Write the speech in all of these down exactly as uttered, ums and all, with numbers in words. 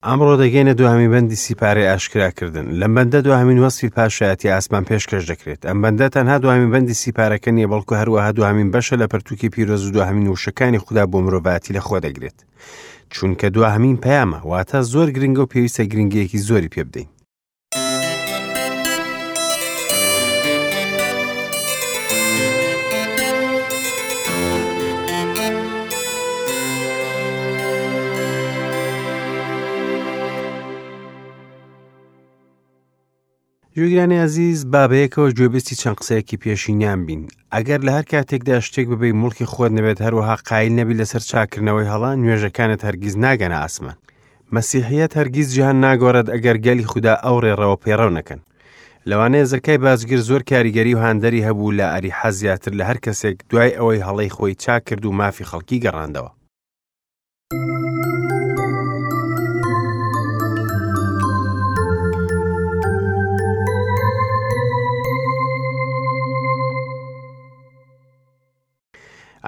ئەمڕۆ دەگەینە دوهەمین بەندی سیپارەی ئاشکراکردن. لەم بەندە دوهەمین وەسفی پاشایەتی ئاسمان پێشکەش دەکرێت. ئەم بەندە تەنها دوهەمین بەندی سیپارەکە نییە، بەڵکو هەروەها دوهەمین بەشە لە پەرتوکی پیرۆز و دوهەمین وشەکانی خودا بۆ مرۆڤایەتی لەخۆ دەگرێت. چونکە دوهەمین پەیامە، واتە زۆر گرنگە و پێویستە گرنگیەکی زۆری پێ بدەین. گوێگرانی ئازیز، با بەیەکەوە گوێبیستی چەند قسەیەکی پێشینیان بین. ئەگەر لە هەر کاتێکدا شتێک ببەی موڵکی خۆت نەبێت، هەروەها قایل نەبی لەسەر چاکردنەوەی هەڵە، نوێژەکانت هەرگیز ناگەنە ئاسمان. مەسیحیەت هەرگیز جیهان ناگۆڕێت ئەگەر گەلی خودا ئەو ڕێڕەوە پەیڕەو نەکەن. لەوانەیە زەکای باجگر زۆر کاریگەری و هاندەری هەبوو لە ئەریحا زیاتر لە هەر کەسێک دوای ئەوەی هەڵەی خۆی چاک کرد و مافی خەڵکی گەڕاندەوە.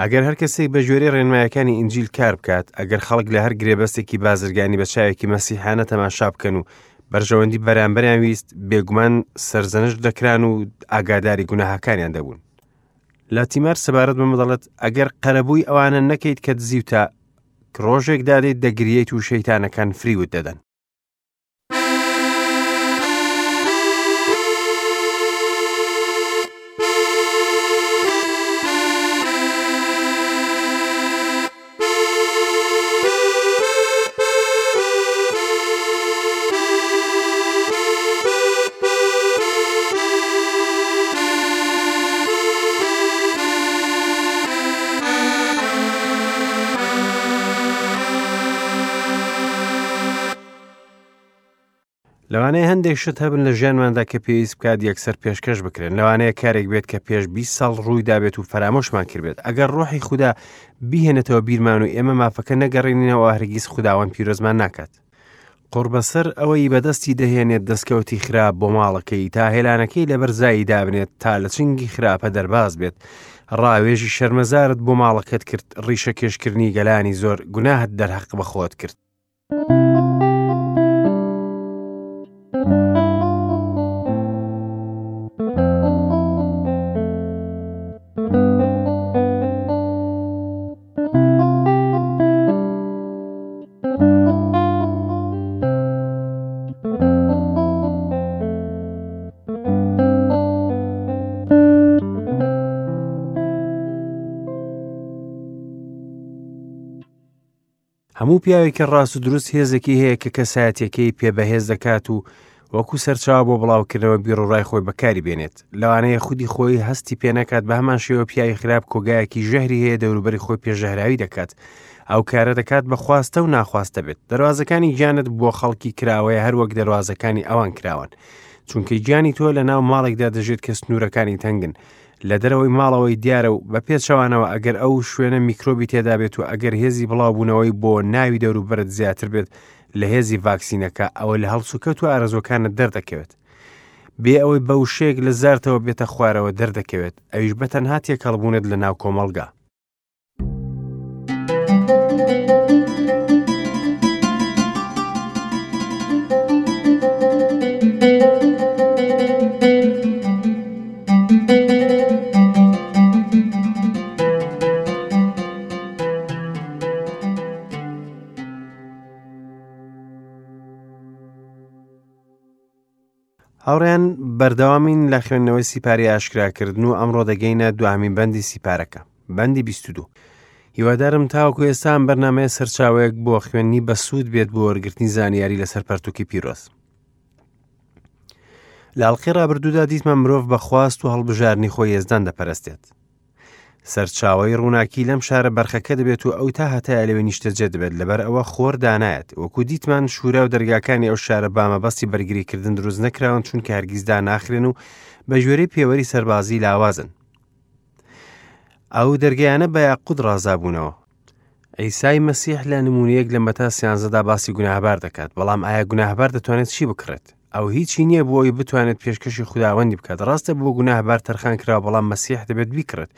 ئەگەر هەر کەسێک بە گوێرەی ڕێنمایەکانی ئینجیل کار بکات، ئەگەر خەڵک لە هەر گرێبەستێکی بازرگانی بە چاوێکی مەسیحانە تەماشا بکەن و بەرژەوەندی بەرامبەریان ویست، بێگومان سەرزەنشت دەکران و ئاگاداری گوناهەکانیان دەبوون. لاتیمار سەبارەت بەمە دەڵێت: ئەگەر قەرەبووی ئەوانە نەکەیت کە دزیوتە، ڕۆژێک دادێت دەگریەیت و شەیتانەکان فریوت دەدەن. لەوانەیە هەندێک شت هەبن لە ژیانماندا کە پێویست بکات یەکسەر پێشکەش بکرێن. لەوانەیە کارێک بێت کە پێش بیست ساڵ ڕووی دابێت و فەرامۆشمان کردبێت. ئەگەر ڕۆحی خودا بیهێنێتەوە بیرمان و ئێمە مافەکە نەگەڕێنینەوە، هەرگیز خوداوەند پیرۆزمان ناکات. قوڕبەسەر ئەوەی بەدەستی دەهێنێت دەستکەوتی خراپ بۆ ماڵەکەی، تا هێلانەکەی لەبەر زایی دابنێت تا لە چنگی خراپە دەرباز بێت. ڕاوێژی شەرمەزارت بۆ ماڵەکەت کرد، ڕیشە کێشکردنی گەلانی زۆر، گوناهت دەرهەق بە خۆت کرد. هەموو پیاوێکی ڕاست و دروست هێزێکی هەیە کە کەسایەتیەکەی پێ بەهێز دەکات و وەکو سەرچاوە بۆ بڵاوکردنەوە بیرۆڕای خۆی بەکاری بێنێت. لەوانەیە خودی خۆی هەستی پێ نەکات، بە هەمان شێوە پیاوی خراپ کۆگایەکی ژەهری هەیە دەوروبەری خۆی پێژەهراوی دەکات. ئەو کارە دەکات بە خواستە و ناخواستە بێت. دەروازەکانی گیانت بۆ خەڵکی کراوەیە هەروەک دەروازەکانی ئەوان کراون، چونکە گیانی تۆ لە ناو ماڵێکدا دەژێت کە سنوورەکانی تەنگن. لە دەرەوەی ماڵەوەی دیارە و بە پێچەوانەوە ئەگەر ئەو شوێنە میکرۆبی تێدا بێت و ئەگەر هێزی بڵاوبوونەوەی بۆ ناوی دەوروبەرت زیاتر بێت لە هێزی ڤاکسینەکە، ئەوە لە هەڵسوکەوت و ئارەزوەکانت دەردەکەوێت. بێ ئەوەی بە وشەیەک لە زارتەوە بێتە خوارەوە دەردەکەوێت، ئەویش بە تەنها تێکەڵبوونت لە ناو کۆمەڵگا. هاوڕێیان، بەردەوامین لە خوێندنەوەی سیپاری ئاشکراکردن و ئەمڕۆ دەگەینە دوهەمین بەندی سیپارەکە، بەندی بیست و دوو. هیوادارم تاوەکو ئێستا ئەم بەرنامەیە سەرچاوەیەک بۆ خوێندنی بەسوود بێت بۆ وەرگرتنی زانیاری لەسەر پەرتوکی پیرۆز. لە ئەڵقەی ڕابردوودا دیتمان مرۆڤ بە خواست و هەڵبژاردنی خۆی یەزدان دەپەرستێت. سەرچاوەی ڕووناکی لەم شارە بەرخەکە دەبێت و ئەو تا هەتایە لەوێ نیشتەجێ دەبێت، لەبەر ئەوە خۆر دانایەت. وەکو دیتمان شوورا و دەرگاکانی ئەو شارە بامەبەستی بەرگریکردن دروست نەکراون، چونکە هەرگیز داناخرێن و بە گوێرەی پێوەری سەربازی لاوازن. ئەو دەرگایانە بە یاقوت ڕازابوونەوە. عیسای مەسیح لە نمونەیەک لە مەتا سیانزەدا باسی گوناهبار دەکات، بەڵام ئایا گوناهبار دەتوانێت چی بکڕێت؟ ئەو هیچی نییە بۆ ئەوەی بتوانێت پێشکەشی خوداوەندی بکات. ڕاستە بۆ گوناهبار تەرخان کراوە، بەڵام مەسیح دەبێت بیکڕێت.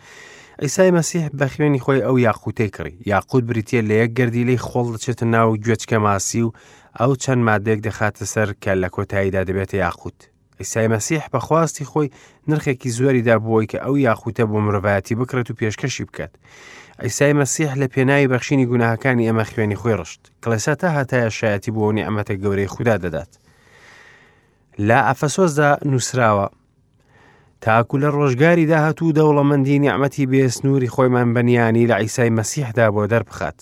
عیسای مەسیح بە خوێنی خۆی ئەو یاقوتەی کڕی. یاقوت بریتییە لە یەک گەردیلەی خۆڵ دەچێتە ناو گوێچکە ماسی و ئەو چەند مادەیەک دەخاتە سەر کە لە کۆتاییدا دەبێتە یاقوت. عیسای مەسیح بە خواستی خۆی نرخێکی زۆری دا بۆی کە ئەو یاقوتە بۆ مرۆڤایەتی بکڕێت و پێشکەشی بکات. عیسای مەسیح لە پێناوی بەخشینی گوناهەکانی ئێمە خوێنی خۆی ڕشت. کڵێسا تا هەتایە شایەتی بۆ نیعمەتە گەورەی خودا دەدات. لە ئەفەسۆسدا نووسراوە تاکو لە ڕۆژگاری داهاتوو دەوڵەمەندی نیعمەتی بێسنووری خۆیمان بەنیانی لە عیسای مەسیحدا بۆ دەربخات.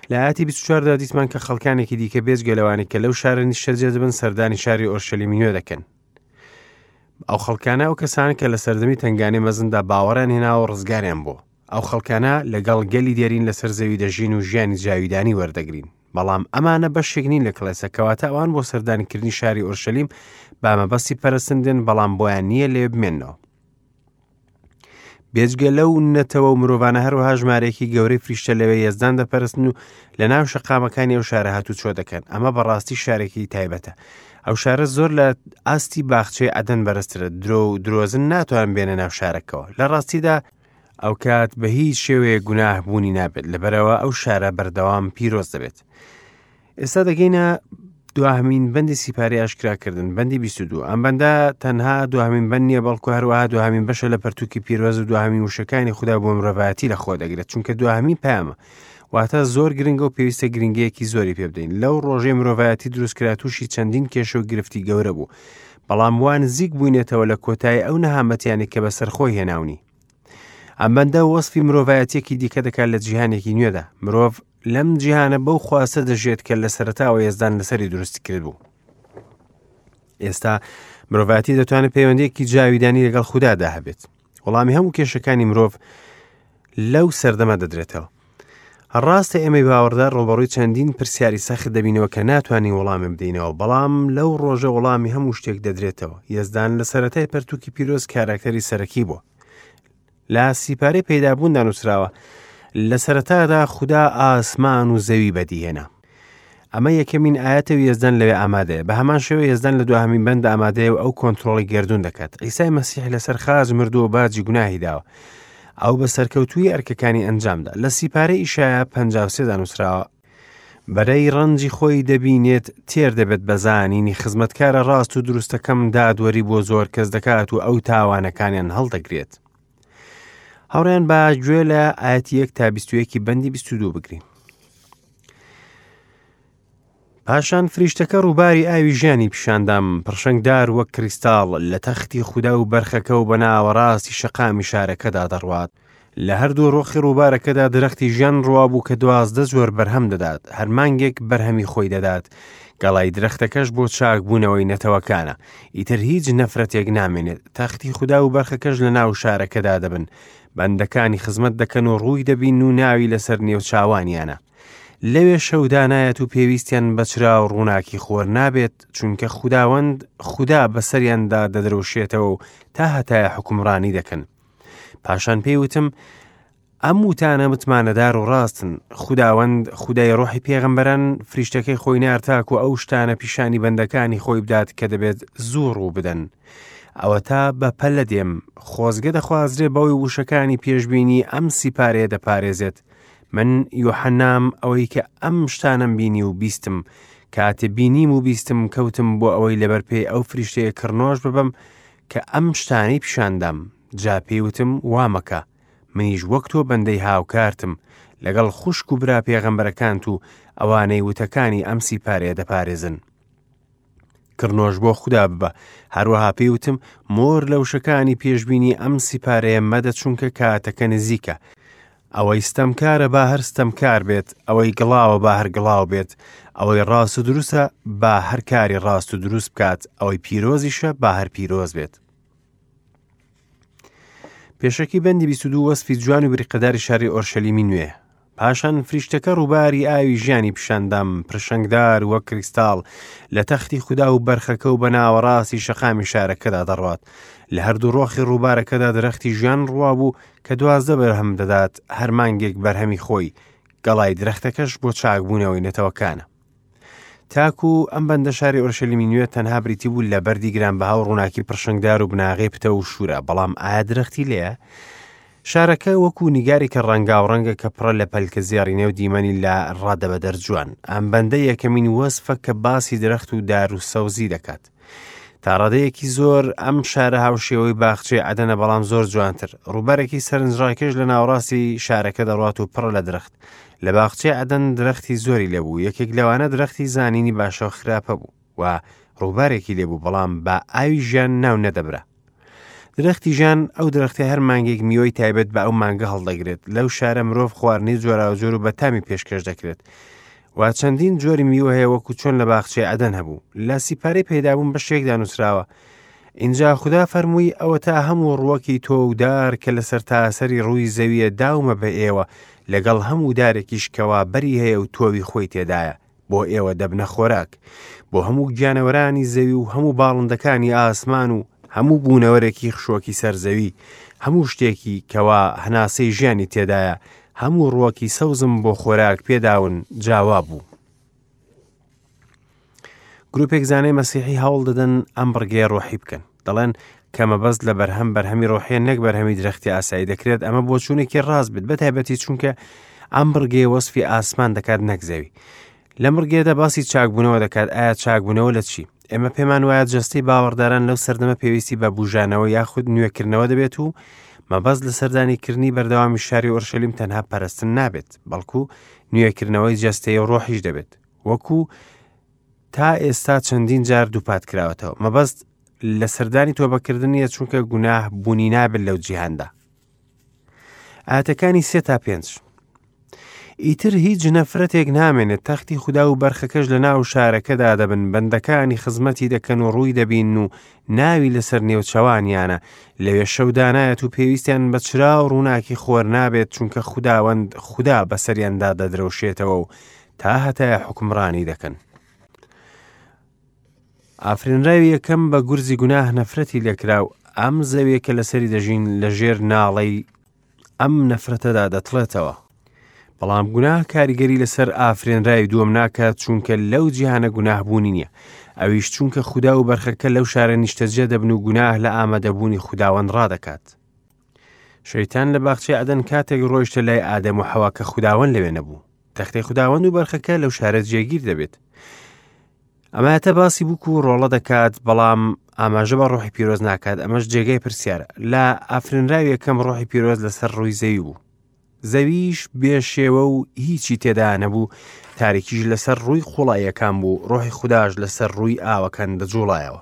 لە ئاەتی بیست و چواردا دیتمان کە خەڵکانێکی دیکە بێجگە لەوانەی کە لەو شارە نیشتەجێ دەبن سەردانی شاری ئۆرشەلیمی نوێ دەکەن. ئەو خەڵکانە ئەو کەسانە کە لە سەردەمی تەنگانەی مەزندا باوەڕیان هێناوە و ڕزگاریان بووە. ئەو خەڵکانە لەگەڵ گەلی دێرین لەسەر زەوی دەژین و ژیانی جاویدانی وەردەگرین. بەڵام ئەمانە بەشێک نین لە کڵێسە، کەواتە ئەوان بۆ سەردانیکردنی شاری ئۆرشەلیم بە مەبەستی پەرستن دێن، بەڵام بۆیان نییە لێ بمێننەوە. بێجگە لەو نەتەوە و مرۆڤانە هەروەها ژمارەیەکی گەورەی فریشتە لەوێ یەزدان دەپەرستن و لە ناو شەقامەکانی ئەو شارە هاتوچۆ دەکەن. ئەمە بەڕاستی شارێکی تایبەتە. ئەو شارە زۆر لە ئاستی باخچەی عەدەن بەرزترە. درۆ و درۆزن ناتوان بێنە ناو شارەکەوە. لە ڕاستیدا ئەو کات بە هیچ شێوەیە گوناه بوونی نابێت، لەبەرەوە ئەو شارە بەردەوام پیرۆز دەبێت. ئێستا دەگەینە دواهەمین بەندی سیپارەی ئاشکراکردن، بەندی بیست و دوو. ئەم بەندە تەنها دواهەمین بەند نییە، بەڵکو هەروەها دواهەمین بەشە لە پەرتوکی پیرۆز و دواهەمین وشەکانی خودا بۆ مرۆڤایەتی لەخۆ دەگرێت، چونکە دواهەمین پەیامە. واتە زۆر گرنگە و پێویستە گرنگەیەکی زۆری پێ بدەین. لەو ڕۆژەی مرۆڤایەتی دروستکرا تووشی چەندین کێشە و گرفتی گەورە بوو، بەڵام وا نزیک بووینێتەوە لە کۆتایی ئەو نەهامەتیانەی کە بەسەر خۆی هێناونی. ئەم بەندە وەصفی مرۆڤایەتیەکی دیکە دەکات لە جیهانێکی نوێدا. مرۆڤ لەم جیهانە بەو خواستە دەژێت کە لە سەرەتاوە یەزدان لەسەری دروستی کرد بوو. ئێستا مرۆڤایەتی دەتوانێت پەیوەندیەکی جاویدانی لەگەڵ خودادا هەبێت. وەڵامی هەموو کێشەکانی مرۆڤ لەو سەردەمە دەدرێتەوە. ڕاستە ئێمەی باوەڕدار ڕووبەڕووی چەندین پرسیاری سەخت دەبینەوە کە ناتوانین وەڵامی بدەینەوە، بەڵام لەو ڕۆژە وەڵامی هەموو شتێک دەدرێتەوە. یەزدان لە سەرەتای پەرتوکی پیرۆز کاراکتەری سەرەکی بووە. لە سیپارەی پەیدابووندا نووسراوە لە سەرەتادا خودا ئاسمان و زەوی بەدیهێنا. ئەمە یەکەمین ئاەتە و یەزدان لەوێ ئامادەیە. بە هەمان شێوە یەزدان لە دواهەمین بەند ئامادەیە و ئەو کۆنترۆڵی گەردوون دەکات. عیسای مەسیح لەسەر خاچ مردووە و باجی گوناهی داوە. ئەو بە سەرکەوتووی ئەرکەکانی ئەنجامدا. لە سیپارەی ئیشایا پەنجا و سێدا نووسراوە بەرەی ڕەنجی خۆی دەبینێت، تێر دەبێت بە زانینی خزمەتکارە ڕاست و دروستەکەم دادوەری بۆ زۆر کەس دەکات و ئەو تاوانەکانیان هەڵدەگرێت. هاوڕێیان با گوێ لە ئاەتی یەک تا بیست و یەکی بەندی بیست و دوو بگرین. پاشان فریشتەکە ڕووباری ئاوی ژیانی پیشاندام، پڕشنگدار وەک کریستاڵ لە تەختی خودا و بەرخەکە و بە ناوەڕاستی شەقامی شارەکەدا دەڕوات. لە هەردوو ڕۆخی ڕووبارەکەدا درەختی ژیان ڕوا بوو کە دوازدە جۆر بەرهەم دەدات، هەر مانگێک بەرهەمی خۆی دەدات. گەڵای درەختەکەش بۆ چاکبوونەوەی نەتەوەکانە. ئیتر هیچ نەفرەتێک نامێنێت. تەختی خودا و بەرخەکەش لە ناو شارەکەدا دەبن. بەندەکانی خزمەت دەکەن و ڕووی دەبین و ناوی لەسەر نێوچاوانیانە. لەوێ شەودانایەت و پێویستیان بە چرا و ڕووناکی خۆر نابێت، چونکە خوداوەند خودا بەسەریاندا دەدرەوشێتەوە و تا هەتایە حوکمڕانی دەکەن. پاشان پێی وتم ئەم وتانە متمانەدار و ڕاستن. خوداوەند خودای ڕۆحی پێغەمبەران فریشتەکەی خۆی نارد تاکو ئەو شتانە پیشانی بەندەکانی خۆی بدات کە دەبێت زوو ڕوو بدەن. ئەوە تا بە پەلە دێم، خۆزگە دەخوازرێ بەوەی وشەکانی پێشبینی ئەم سیپارەیە دەپارێزێت. من یۆحەنام ئەوەی کە ئەم شتانەم بینی و بیستم، کاتێ بینیم و بیستم کەوتم بۆ ئەوەی لەبەر پێی ئەو فریشتەیە کڕنۆش ببەم کە ئەم شتانەی پیشاندام. جا پێی وتم وامەکە، منیش وەک تۆ بەندەی هاوکارتم لەگەڵ خوشک و برا پێغەمبەرەکانت و ئەوانەی وتەکانی ئەم سیپارەیە دەپارێزن. کڕنۆش بۆ خودا ببە. هەروەها پێی وتم مۆر لە وشەکانی پێشبینی ئەم سیپارەیە مەدە، چونکە کاتەکە نزیکە. ئەوەی ستەمکارە با هەر ستەمکار بێت، ئەوەی گڵاوە با هەر گڵاو بێت، ئەوەی ڕاست و دروستە با هەر کاری ڕاست و دروست بکات، ئەوەی پیرۆزیشە با هەر پیرۆز بێت. پێشەکی بەندی بیست و دوو وەصفی جوان و بریقەداری شاری ئۆرشەلیمی نوێ. پاشان فریشتەکە ڕووباری ئاوی ژیانی پیشاندام، پرشنگدار وەک کریستاڵ لە تەختی خودا و بەرخەکە و بە ناوەڕاستی شەقامی شارەکەدا دەڕوات. لە هەردوو ڕۆخی ڕووبارەکەدا درەختی ژیان ڕوا بوو کە دوازدە بەرهەم دەدات، هەر مانگێک بەرهەمی خۆی. گەڵای درەختەکەش بۆ چاکبوونەوەی نەتەوەکانە. تاکو ئەم بەندە شاری ئۆرشەلیمی نوێ تەنها بریتی بوو لە بەردی گرانبەها و ڕووناکی پرشنگدار و بناغەی پتە و شوورە، بەڵام ئایا درەختی لێیە؟ شارەکە وەکو نیگارێکە ڕەنگاوڕەنگە کە پڕە لە پەلکە زێڕینە و دیمەنی لە ڕادەبەدەر جوان. ئەم بەندە یەکەمین وەسفە کە باسی درەخت و دار و سەوزی دەکات. تا ڕادەیەکی زۆر ئەم شارە هاوشێوەی باخچەی عەدەنە، بەڵام زۆر جوانتر. ڕووبارێکی سەرنجڕاکێش لە ناوەڕاستی شارەکە دەڕوات و پڕە لە درەخت. لە باخچەی عەدەن درەختی زۆری لێبوو، یەکێک لەوانە درەختی زانینی باشە و خراپە بوو و ڕووبارێکی لێبوو، بەڵام بە ئاوی ژیان ناو نەدەبرا. درەختی ژیان ئەو درەختەی هەر مانگێک میوەی تایبەت بە ئەو مانگە هەڵدەگرێت. لەو شارە مرۆڤ خواردنی جۆراوجۆر و بەتامی پێشکەش دەکرێت و چەندین جۆری میوە هەیە وەکو چۆن لە باخچەی عەدەن هەبوو. لە سیپارەی پەیدابوون بەشێکدا نووسراوە: ئینجا خودا فەرمووی ئەوەتا هەموو ڕووەکی تۆ و دار کە لەسەر تاسەری ڕووی زەویە داومە بە ئێوە، لەگەڵ هەموو دارێکیش کەوا بەری هەیە و تۆوی خۆی تێدایە، بۆ ئێوە دەبنە خۆراک، بۆ هەموو گیانەوەرانی زەوی و هەموو باڵندەکانی ئاسمان و هەموو بوونەوەرێکی خشۆکی سەر زەوی، هەموو شتێکی کەوا هەناسەی ژیانی تێدایە، هەموو ڕووەکی سەوزم بۆ خۆراک پێداون. جاوا بوو. گروپێک زانای مەسیحی هەوڵ دەدەن ئەم بڕگەیە ڕۆحی بکەن. دەڵێن کە مەبەست لە بەرهەم بەرهەمی ڕۆحیە نەک بەرهەمی درەختی ئاسایی. دەکرێت ئەمە بۆچوونێکی ڕاست بێت، بەتایبەتی چونکە ئەم بڕگەیە وەسفی ئاسمان دەکات نەک زەوی. لەم بڕگەیەدا باسی چاکبوونەوە دەکات. ئایا چاکبوونەوە لە چی؟ ئێمە پێمان وایە جەستەی باوەڕداران لەو سەردەمە پێویستی بە بوژانەوە یاخود نوێکردنەوە دەبێت و مەبەست لە سەردانیکردنی بەردەوامی شاری ئۆرشەلیم تەنها پەرستن نابێت، بەڵکو نوێکردنەوەی جەستەی و ڕۆحیش دەبێت، وەکو تا ئێستا چەندین جار دووپات کراوەتەوە. مەبەست لە سەردانی تۆبەکردن نییە، چونکە گوناه بوونی نابێت لەو جیهاندا. ئاەتەکانی سێ تا پێنج: ئیتر هیچ نەفرەتێک نامێنێت، تەختی خودا و بەرخەکەش لە ناو شارەکەدا دەبن، بەندەکانی خزمەتی دەکەن و ڕووی دەبین و ناوی لەسەر نێوچەوانیانە. لەوێ شەودانایەت و پێویستیان بە چرا و ڕووناکی خۆر نابێت، چونکە خوداوەند خودا بەسەریاندا دەدرەوشێتەوە و تا هەتایە حوکمڕانی دەکەن. ئافرێنراوی یەکەم بە گورزی گوناه نەفرەتی لێکرا و ئەم زەویە کە لەسەری دەژین لەژێر ناڵەی ئەم نەفرەتەدا دەتڵێتەوە. بەڵام گوناه کاریگەری لەسەر ئافرێنراوی دووەم ناکات، چونکە لەو جیهانە گوناه بوونی نییە. ئەویش چونکە خودا و بەرخەکە لەو شارە نیشتەجێ دەبن و گوناه لە ئامادەبوونی خوداوەند ڕادەکات. شەیتان لە باخچەی عەدەن کاتێک ڕۆیشتە لای ئادەم و حەوا کە خوداوەند لەوێ نەبوو. تەختەی خوداوەند و بەرخەکە لەو شارە جێگیر دەبێت. ئەمایەتە باسی بووک و ڕۆڵە دەکات، بەڵام ئاماژە بە ڕۆحی پیرۆز ناکات. ئەمەش جێگای پرسیارە. لە ئافرێنراوی یەکەم ڕۆحی پیرۆز لەسەر ڕووی زەوی بوو، زەویش بێشێوە و هیچی تێدا نەبوو، تاریکیش لەسەر ڕووی قوڵاییەکان بوو، ڕۆحی خوداش لەسەر ڕووی ئاوەکان دەجوڵایەوە.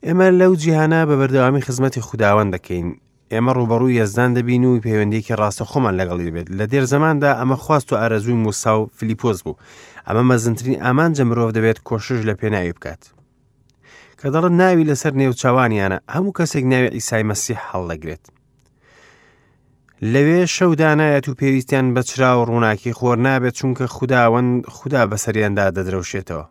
ئێمە لەو جیهانە بە بەردەوامی خزمەتی خوداوەند دەکەین. ئێمە ڕووبەڕووی یەزدان دەبین و پەیوەندیەکی ڕاستەخۆمان لەگەڵی دەبێت. لە دێر زەماندا ئەمە خواست و ئارەزووی موسا و فلیپۆس بوو. ئەمە مەزنترین ئامانجە مرۆڤ دەبێت کۆشش لە پێناوی بکات. کە دەڵێت ناوی لەسەر نێوچاوانیانە، هەموو کەسێک ناوی عیسای مەسیح هەڵدەگرێت. لەوێ شەودانایەت و پێویستیان بە چرا و ڕووناکی خۆر نابێت، چونکە خوداوەند خودا بەسەریاندا دەدرەوشێتەوە.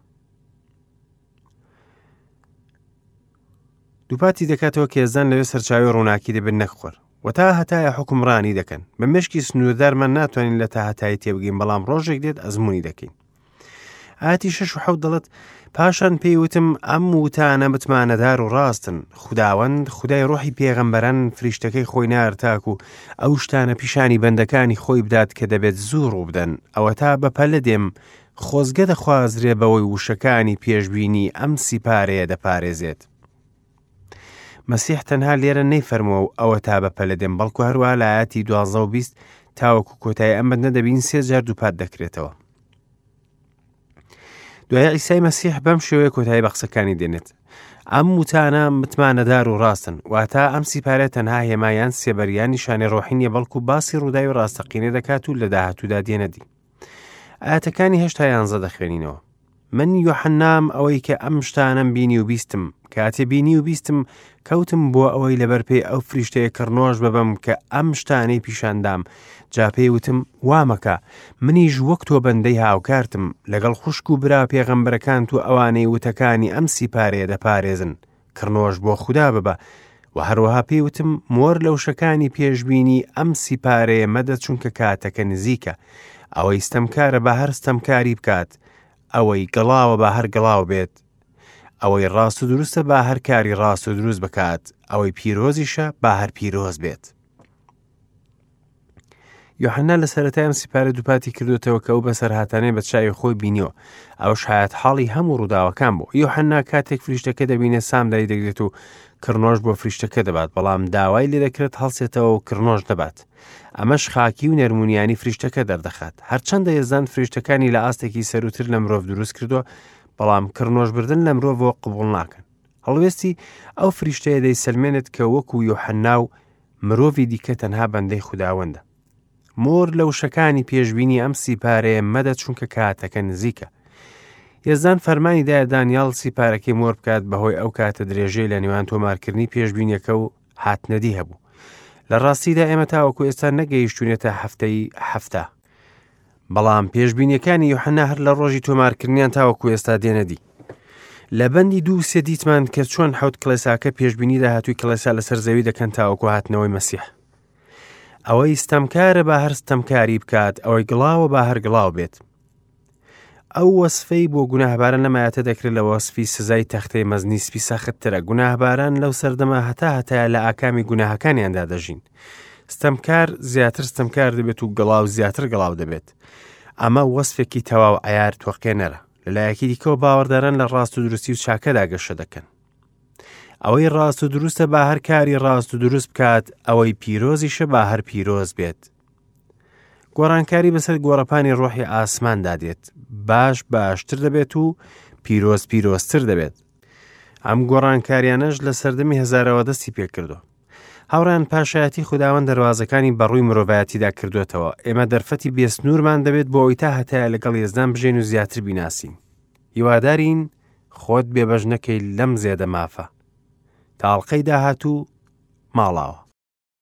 دووپاتی دەکاتەوە کە یەزدان لەوێ سەرچاوی ڕووناکی دەبێت نەک خۆر و تا هەتایە حوکمڕانی دەکەن. بە مشکی سنووردارمان ناتوانین لە تا هەتایی تێبگەین، بەڵام ڕۆژێک دێت ئەزمموی دەکەین. ئاتی شەش و حەوت دەڵێت: پاشان پێیوتم ئەم وتانە متمانەدار و ڕاستن. خوداوەند خودای ڕۆحی پێغەمبەران فریشتەکەی خۆی نارد تاکو ئەو شتانە پیشانی بەندەکانی خۆی بدات کە دەبێت زوو ڕوو بدەن. ئەوەتا بەپەلە دێم، خۆزگە دەخوازرێ بەوەی وشەکانی پێشبینی ئەم سیپارەیە دەپارێزێت. مەسیح تەنها لێرە نەیفەرمووە و ئەوە تا بەپەلە دێم، بەڵکو هەروەها لە ئایەتی دوازدە و بیست تاوەکو کۆتایی ئەم بەندە دەبین سێ جار دووپات دەکرێتەوە. دوای عیسای مەسیح بەم شێوەیە کۆتایی بە قسەکانی دێنێت: ئەم وتانە متمانەدار و ڕاستن. واتە ئەم سیپارە تەنها هێمایان سێبەریان نیشانەی ڕۆحی نییە، بەڵکو باسی ڕووداوی ڕاستەقینە دەکات و لە داهاتوودا دێنەدی. ئایەتەکانی هەشتا یانزە دەخوێنینەوە: من یۆحەنام ئەوەی کە ئەم شتانەم بینی و بیستم. کاتێ بینی و بیستم کەوتم بۆ ئەوەی لەبەر پێی ئەو فریشتەیە کڕنۆش ببەم کە ئەم شتانەی پیشاندام. جا پێی وتم وامەکە، منیش وەک تۆ بەندەی هاوکارتم لەگەڵ خوشک و برا پێغەمبەرەکانت و ئەوانەی وتەکانی ئەم سیپارەیە دەپارێزن. کڕنۆش بۆ خودا ببە. و هەروەها پێی وتم مۆر لە وشەکانی پێشبینی ئەم سیپارەیە مەدە، چونکە کاتەکە نزیکە. ئەوەی ستەمکارە با هەر ستەمکاری بکات، ئەوەی گڵاوە با هەر گڵاو بێت، ئەوەی ڕاست و دروستە با هەر کاری ڕاست و دروست بکات، ئەوەی پیرۆزیشە با هەر پیرۆز بێت. یۆحەنا لە سەرەتای ئەم سیپارە دووپاتی کردوتەوە کە ئەو بەسەرهاتانەی بە چاوی خۆی بینیوە، ئەوەش حەیاتحاڵی هەموو ڕووداوەکان بوو. یۆحەنا کاتێک فریشتەکە دەبینێت سام دای دەگرێت و کڕنۆش بۆ فریشتەکە دەبات، بەڵام داوای لێ دەکرێت هەڵسێتەوە و کڕنۆش دەبات. ئەمەش خاکی و نەرمونیانی فریشتەکە دەردەخات. هەرچەندە یەزدان فریشتەکانی لە ئاستێکی سەروتر لە مرۆڤ دروست کردووە، بەڵام کڕنۆشبردن لە مرۆڤەوە قبوڵ ناکەن. هەڵوێستی ئەو فریشتەیە دەیسەلمێنێت کە وەکو یۆحەنا و مرۆڤی دیکە تەنها بەندەی خوداوەندە. مۆر لە وشەکانی پێشبینی ئەم سیپارەیە مەدە، چونکە کاتەکە نزیکە. یەزدان فەرمانی دایە دانیال سیپارەکەی مۆر بکات بەهۆی ئەو کاتە درێژەی لە نێوان تۆمارکردنی پێشبینیەکە و هاتنەدی هەبوو. لە ڕاستیدا ئێمە تاوەکو ئێستا نەگەیشتوونێتە هەفتەی هەفتە، بەڵام پێشبینیەکانی یۆحەنا هەر لە ڕۆژی تۆمارکردنیان تاوەکو ئێستا دێنەدی. لە بەندی دوو سێ دیتمان کە چۆن حەوت کڵێساکە پێشبینی داهاتووی کڵێسا لەسەر زەوی دەکەن تاوەکو هاتنەوەی مەسیح. ئەوەی ستەمکارە با هەر ستەمکاری بکات، ئەوەی گڵاوە با هەر گڵاو بێت. ئەو وەسفەی بۆ گوناهباران لەمایەتە دەکرێت لە وەسفی سزای تەختەی مەزنی سپی سەختترە. گوناهباران لەو سەردەمە هەتا هەتایە لە ئاکامی گوناهەکانیاندا دەژین. ستەمکار زیاتر ستەمکار دەبێت و گڵاو زیاتر گڵاو دەبێت. ئەمە وەسفێکی تەواو عەیار تۆقێنەرە. لەلایەکی دیکەوە باوەڕداران لە ڕاست و دروستی و چاکەدا گەشە دەکەن. ئەوەی ڕاست و دروستە با هەر کاری ڕاست و دروست بکات، ئەوەی پیرۆزیشە با هەر پیرۆز بێت. گۆڕانکاری بەسەر گۆڕەپانی ڕۆحی ئاسماندا دێت، باش باشتر دەبێت و پیرۆز پیرۆزتر دەبێت. ئەم گۆڕانکاریانەش لە سەردەمی هەزارەوە دەستی پێکردووە. هاوڕێیان، پاشایەتی خوداوەند دەروازەکانی بەڕووی مرۆڤایەتیدا کردوێتەوە. ئێمە دەرفەتی بێسنوورمان دەبێت بۆ ئەوەی تا هەتایە لەگەڵ یەزدان بژین و زیاتر بیناسین. هیوادارین خۆت بێبەش نەکەی لەم زێدە مافە. تا ئەڵقەی داهاتوو ماڵاوە.